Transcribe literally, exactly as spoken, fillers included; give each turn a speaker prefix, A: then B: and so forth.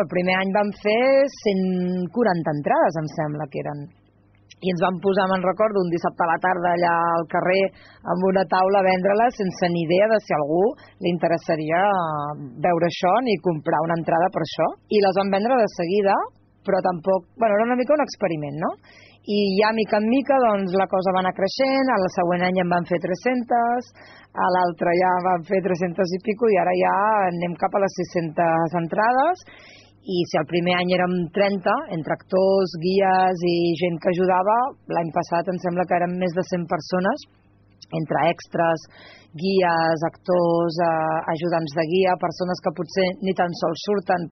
A: El primer any vam fer cent quaranta entrades, em sembla que eren. I ens vam posar, me'n recordo, un dissabte a la tarda allà al carrer amb una taula a vendre-les sense ni idea de si a algú li interessaria veure això ni comprar una entrada per això. I les vam vendre de seguida, però tampoc... Bueno, era una mica un experiment, no? I ja, mica en mica, doncs, la cosa va anar creixent, al següent any en van fer tres-centes, a l'altre ja van fer tres-centes i pico, i ara ja anem cap a les sis-centes entrades. I si el primer any érem trenta, entre actors, guies i gent que ajudava, l'any passat em sembla que eren més de cent persones, entre extras, guies, actors, eh, ajudants de guia, persones que potser ni tan sols surten